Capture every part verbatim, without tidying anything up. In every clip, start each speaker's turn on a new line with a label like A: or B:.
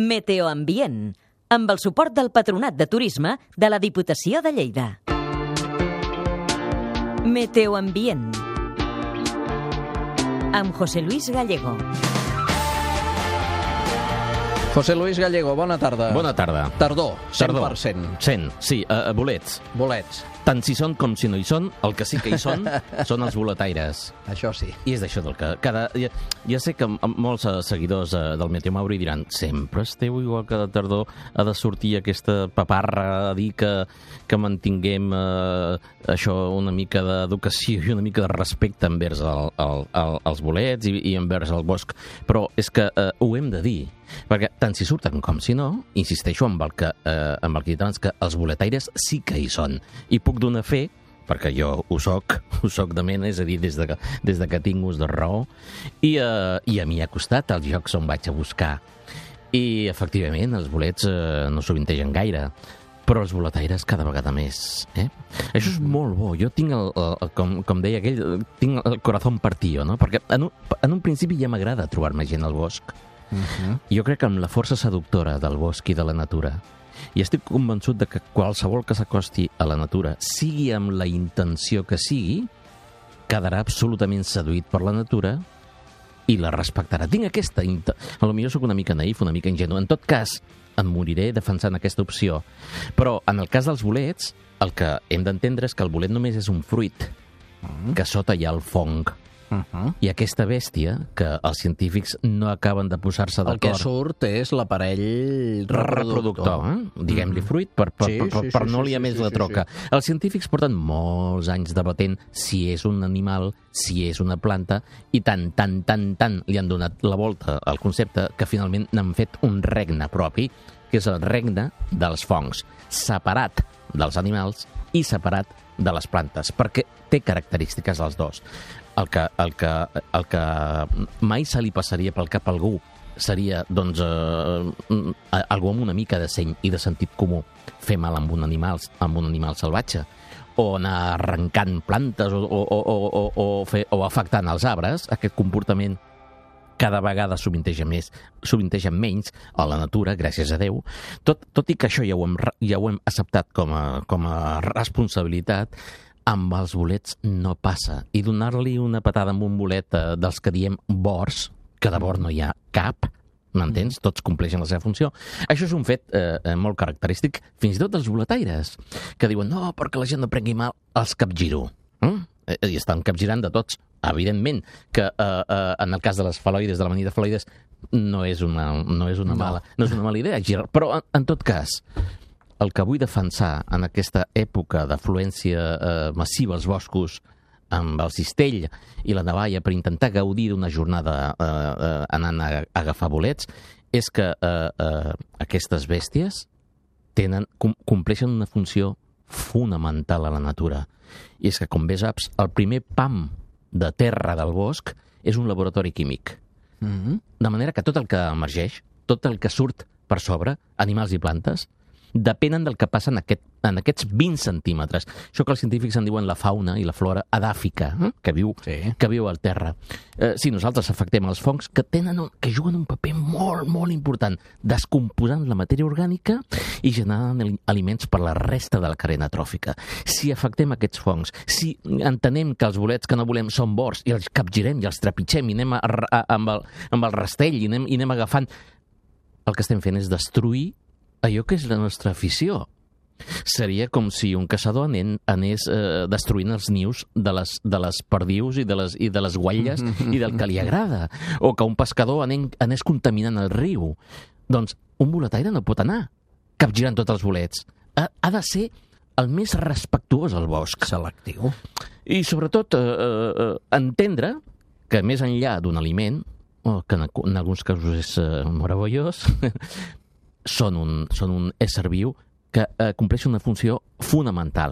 A: Meteoambient, amb el suport del Patronat de Turisme de la Diputació de Lleida. Meteoambient, amb José Luis Gallego.
B: José Luis Gallego, bona tarda.
C: Bona tarda.
B: Tardor, cent per cent.
C: cent, sí, uh, bolets.
B: Bolets.
C: Tant si són com si no hi són, el que sí que hi són són els boletaires.
B: Això sí.
C: I és d'això del que... Cada, ja, ja sé que molts seguidors uh, del Meteo Mauri diran sempre esteu igual que de tardor, ha de sortir aquesta paparra a dir que, que mantinguem uh, això, una mica d'educació i una mica de respecte envers el, el, el, els bolets i, i envers el bosc. Però és que uh, ho hem de dir, perquè tant si surten com si no, insisteixo amb el que, eh, amb el que he dit abans, que els boletaires sí que hi són. I puc donar fe, perquè jo ho soc, ho soc de mena, és a dir, des de que, des de que tinc ús de raó, i, eh, i a mi ha costat els jocs on vaig a buscar. I, efectivament, els bolets eh, no sovintegen gaire, però els boletaires cada vegada més. Eh? Això és molt bo. Jo tinc, el, el, com, com deia aquell, tinc el corazón partido, no? Perquè en un, en un principi ja m'agrada trobar-me gent al bosc. Uh-huh. Jo crec que amb la força seductora del bosc i de la natura, i estic convençut de que qualsevol que s'acosti a la natura, sigui amb la intenció que sigui, quedarà absolutament seduït per la natura i la respectarà. Tinc aquesta... Int... A lo millor soc una mica naïf, una mica ingenu. En tot cas, em moriré defensant aquesta opció. Però en el cas dels bolets, el que hem d'entendre és que el bolet només és un fruit, uh-huh. que sota hi ha el fong. Uh-huh. I aquesta bèstia, que els científics no acaben de posar-se d'acord...
B: El que surt és l'aparell reproductor.
C: reproductor eh? Diguem-li fruit, per, per, sí, per, per, sí, per sí, no liar sí, més sí, la troca. Sí, sí. Els científics porten molts anys debatent si és un animal, si és una planta, i tant, tant, tant, tant li han donat la volta al concepte que finalment n'han fet un regne propi, que és el regne dels fongs, separat dels animals i separat de les plantes, perquè té característiques els dos. El que, el, que, el que mai se li passaria pel cap a algú seria, doncs, eh, algú amb una mica de seny i de sentit comú, fer mal amb un animal, amb un animal salvatge, o anar arrencant plantes o, o, o, o, o, fer, o afectant els arbres. Aquest comportament cada vegada sovinteja més, sovinteja menys a la natura, gràcies a Déu. Tot, tot i que això ja ho hem, ja ho hem acceptat com a, com a responsabilitat, amb els bolets no passa. I donar-li una patada amb un bolet eh, dels que diem bors, que de bord no hi ha cap, m'entens? Tots compleixen la seva funció. Això és un fet eh, molt característic, fins i tot dels boletaires, que diuen, no, perquè la gent no prengui mal, els capgiro. Mm? I estan capgirant de tots. Evidentment que eh, eh, en el cas de les faloides, de l'amanida faloides, no és una, no és una, mala, no és una mala idea girar. Però, en, en tot cas, el que vull defensar en aquesta època d'afluència eh, massiva als boscos, amb el cistell i la navalla per intentar gaudir d'una jornada eh, eh, anant a, a agafar bolets, és que eh, eh, aquestes bèsties tenen, com, compleixen una funció fonamental a la natura. I és que, com bé saps, el primer pam de terra del bosc és un laboratori químic. Mm-hmm. De manera que tot el que emergeix, tot el que surt per sobre, animals i plantes, depenen del que passa en, aquest, en aquests vint centímetres. Això que els científics en diuen la fauna i la flora edàfica, eh? que, viu, sí. que viu al terra. Eh, si nosaltres afectem els fongs, que, tenen un, que juguen un paper molt, molt important, descomposant la matèria orgànica i generant aliments per la resta de la cadena tròfica. Si afectem aquests fongs, si entenem que els bolets que no volem són bors i els capgirem i els trepitgem i anem a, a, amb, el, amb el rastell i anem, i anem agafant, el que estem fent és destruir allò que és la nostra afició. Seria com si un caçador anen, anés eh, destruint els nius de les, de les perdius i de les, i de les guatlles i del que li agrada. O que un pescador anen, anés contaminant el riu. Doncs un boletaire no pot anar capgirant tots els bolets. Ha, ha de ser el més respectuós al bosc.
B: Selectiu.
C: I sobretot eh, eh, entendre que més enllà d'un aliment, oh, que en, en alguns casos és eh, meravellós, Són un, són un ésser viu que eh, compleix una funció fonamental.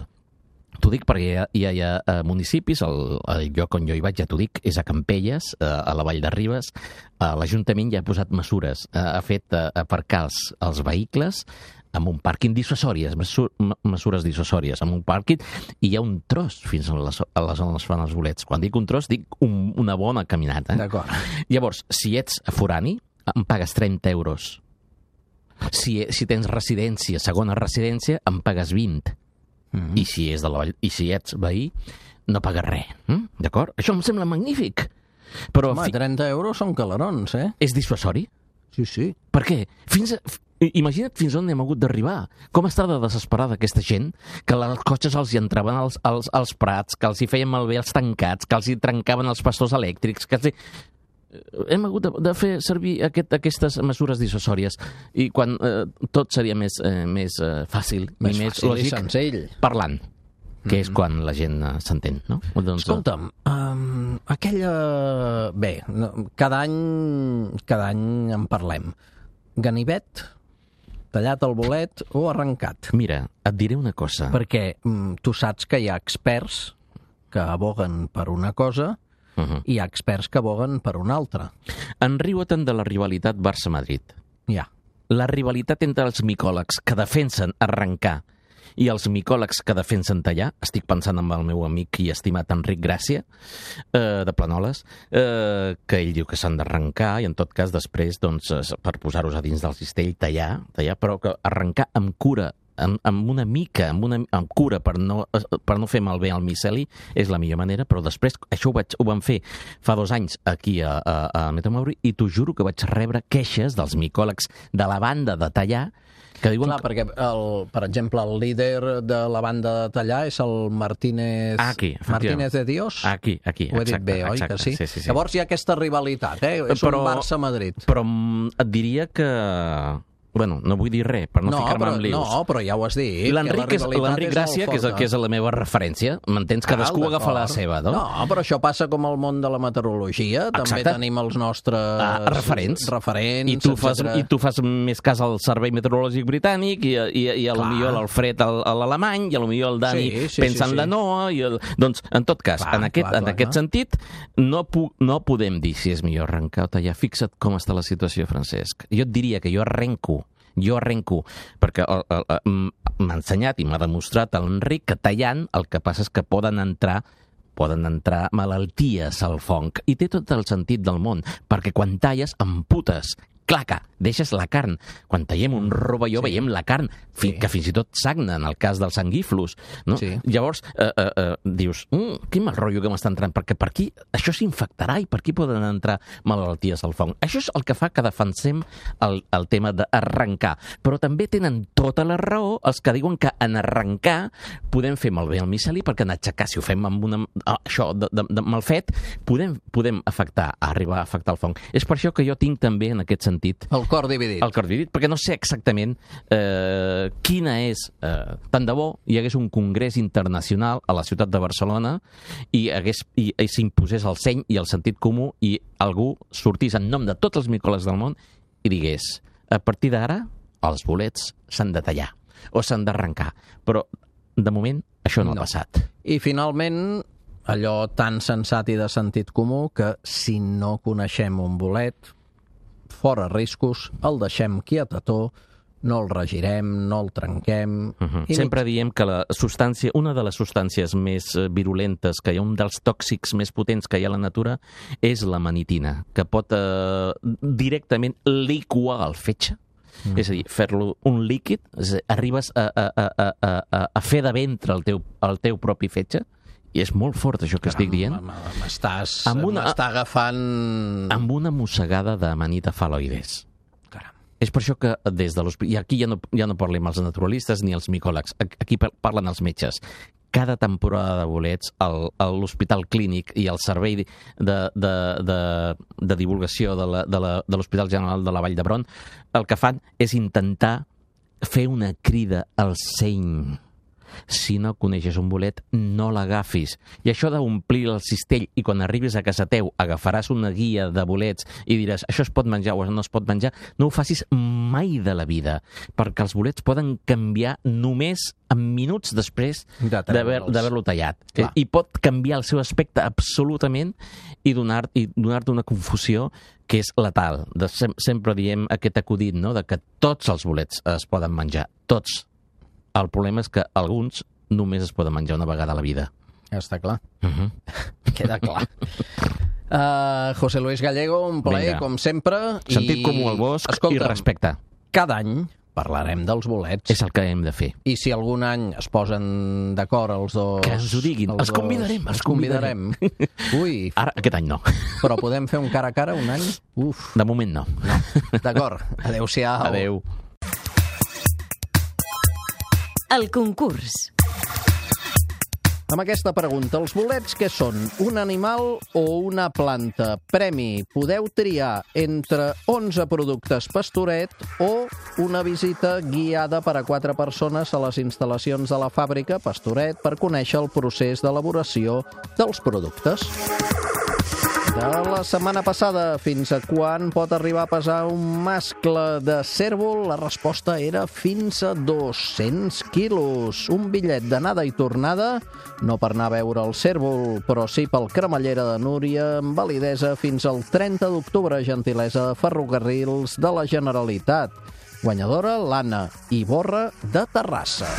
C: T'ho dic perquè hi ha, hi ha, hi ha eh, municipis, el, el lloc on jo hi vaig, ja t'ho dic, és a Campelles, eh, a la Vall de Ribes. Eh, L'Ajuntament ja ha posat mesures, eh, ha fet eh, aparcar els, els vehicles amb un pàrquing dissuasòries, mesures dissuasòries, amb un pàrquing, i hi ha un tros fins a les, a les on es fan els bolets. Quan dic un tros, dic un, una bona caminata.
B: D'acord.
C: Llavors, si ets forani, em pagues trenta euros Si, si tens residència, segona residència, en pagues vint. Mm-hmm. I, si és de la, I si ets veí, no pagues res. Mm? D'acord? Això em sembla magnífic. Però
B: Home, fi... trenta euros són calarons, eh?
C: És dissuasori?
B: Sí, sí.
C: Per què? Fins a... Imagina't fins on hem hagut d'arribar. Com està de desesperada aquesta gent, que els cotxes els hi entraven als, als, als prats, que els hi feien malbé els tancats, que els hi trencaven els pastors elèctrics, que els hi... Hem hagut de, de fer servir aquest, aquestes mesures dissuasòries i quan eh, tot seria més, eh, més eh, fàcil
B: més
C: i més
B: fàcil
C: lògic,
B: i senzill.
C: Parlant, que mm-hmm. és quan la gent eh, s'entén, no?
B: Doncs, escolta'm, um, aquella... Bé, cada any, cada any en parlem. Ganivet, tallat el bolet o arrencat?
C: Mira, et diré una cosa.
B: Perquè mm, tu saps que hi ha experts que aboguen per una cosa uh-huh. i hi ha experts que aboguen per una altra.
C: Enriu-te'n de la rivalitat Barça-Madrid.
B: Ja.
C: La rivalitat entre els micòlegs que defensen arrencar i els micòlegs que defensen tallar, estic pensant en el meu amic i estimat Enric Gràcia, eh, de Planoles, eh, que ell diu que s'han d'arrencar i en tot cas després, doncs, per posar-los a dins del cistell, tallar, tallar, però que arrencar amb cura, amb, amb una mica, amb, una, amb cura per no, per no fer malbé al miceli, és la millor manera, però després això ho, vaig, ho vam fer fa dos anys aquí a, a, a Metamauri i t'ho juro que vaig rebre queixes dels micòlegs de la banda de tallar que diuen...
B: Clar, que... perquè, el, per exemple, el líder de la banda de tallar és el Martínez...
C: Aquí,
B: Martínez de Dios?
C: Aquí, aquí,
B: ho he
C: exacte,
B: dit bé, oi
C: exacte,
B: que sí?
C: Sí, sí, sí?
B: Llavors hi ha aquesta rivalitat, eh? És però, un Barça-Madrid.
C: Però et diria que... Bueno, no vull dir res, per no, no ficar-me en lius.
B: No, però ja ho has dit.
C: L'Enric és, l'Enric Gràcia, que és, que és la meva referència, m'entens? Cadascú agafa la seva, no?
B: No, però això passa com al món de la meteorologia. També
C: Exacte.
B: Tenim els nostres
C: ah, referents.
B: referents
C: I tu, fas, I tu fas més cas al Servei Meteorològic Britànic i, i, i a lo millor l'Alfred a l'alemany i a lo millor el Dani
B: sí, sí,
C: pensa
B: sí,
C: en la
B: sí.
C: Noa. I el... Doncs, en tot cas, clar, en aquest, clar, en clar, aquest clar. sentit, no, pu no podem dir si és millor arrencar o tallar. Fixa't com està la situació, Francesc. Jo et diria que jo arrenco Jo arrenco, perquè m'ha ensenyat i m'ha demostrat l'Enric que tallant el que passa és que poden entrar poden entrar malalties al fong. I té tot el sentit del món, perquè quan talles amputes, claca, deixes la carn. Quan tallem un rovelló sí. veiem la carn, fi, sí. que fins i tot sagna, en el cas dels sanguíflus. No? Sí. Llavors, eh, eh, eh, dius, mm, quin mal rotllo que m'està entrant, perquè per aquí això s'infectarà i per aquí poden entrar malalties al fong. Això és el que fa que defensem el, el tema d'arrencar. Però també tenen tota la raó els que diuen que en arrencar podem fer malbé el miceli, perquè en aixecar, si ho fem amb una, això de, de, de mal fet, podem, podem afectar, arribar a afectar el fong. És per això que jo tinc també en aquest sentit
B: el cor dividit.
C: El cor dividit, perquè no sé exactament eh, quina és... Eh, tant de bo hi hagués un congrés internacional a la ciutat de Barcelona i, hagués, i, i s'imposés el seny i el sentit comú i algú sortís en nom de tots els micòlegs del món i digués, a partir d'ara els bolets s'han de tallar o s'han d'arrencar. Però, de moment, això no, no ha passat.
B: I, finalment, allò tan sensat i de sentit comú que si no coneixem un bolet... fora riscos, el deixem quietató, no el regirem, no el trenquem...
C: Uh-huh. Sempre ni... diem que la substància, una de les substàncies més virulentes, que hi ha un dels tòxics més potents que hi ha a la natura, és la manitina, que pot eh, directament liquar el fetge. Mm. És a dir, fer-lo un líquid, arribes a, a, a, a, a fer de ventre el teu, el teu propi fetge, i és molt fort això que
B: Caram,
C: estic dient.
B: M'estàs agafant...
C: Amb una mossegada d'amanita fal·loides.
B: Caram.
C: És per això que des de l'hospital... I aquí ja no, ja no parlem els naturalistes ni els micòlegs, aquí parlen els metges. Cada temporada de bolets, l'Hospital Clínic i el Servei de, de, de, de Divulgació de l'Hospital General de la Vall d'Hebron, el que fan és intentar fer una crida al seny. Si no coneixes un bolet, no l'agafis. I això d'omplir el cistell i quan arribis a casa teu agafaràs una guia de bolets i diràs això es pot menjar o no es pot menjar, no ho facis mai de la vida, perquè els bolets poden canviar només en minuts després d'haver-lo tallat. Clar. I pot canviar el seu aspecte absolutament i donar-te i donar-te una confusió que és letal. De, sem sempre diem aquest acudit, no?, de que tots els bolets es poden menjar, tots. El problema és que alguns només es poden menjar una vegada a la vida.
B: Ja està clar.
C: Uh-huh.
B: Queda clar. Uh, José Luis Gallego, un plaer, Vinga. Com sempre.
C: Sentit i... comú al bosc. Escolta'm, i respecte.
B: cada any parlarem dels bolets.
C: És el que hem de fer.
B: I si algun any es posen d'acord els dos...
C: Que ens ho diguin. Els, els convidarem. Els convidarem.
B: Ui.
C: Ara, aquest any no.
B: Però podem fer un cara a cara un any? Uf.
C: De moment no.
B: No. D'acord. Adéu-siau.
C: Adéu.
A: El concurs.
B: Amb aquesta pregunta, els bolets què són? Un animal o una planta? Premi. Podeu triar entre onze productes Pastoret o una visita guiada per a quatre persones a les instal·lacions de la fàbrica Pastoret per conèixer el procés d'elaboració dels productes. De la setmana passada, fins a quan pot arribar a pesar un mascle de cérvol? La resposta era fins a dos-cents quilos. Un bitllet d'anada i tornada, no per anar a veure el cérvol, però sí pel Cremallera de Núria, amb validesa fins al trenta d'octubre, gentilesa de Ferrocarrils de la Generalitat. Guanyadora, l'Anna Iborra de Terrassa.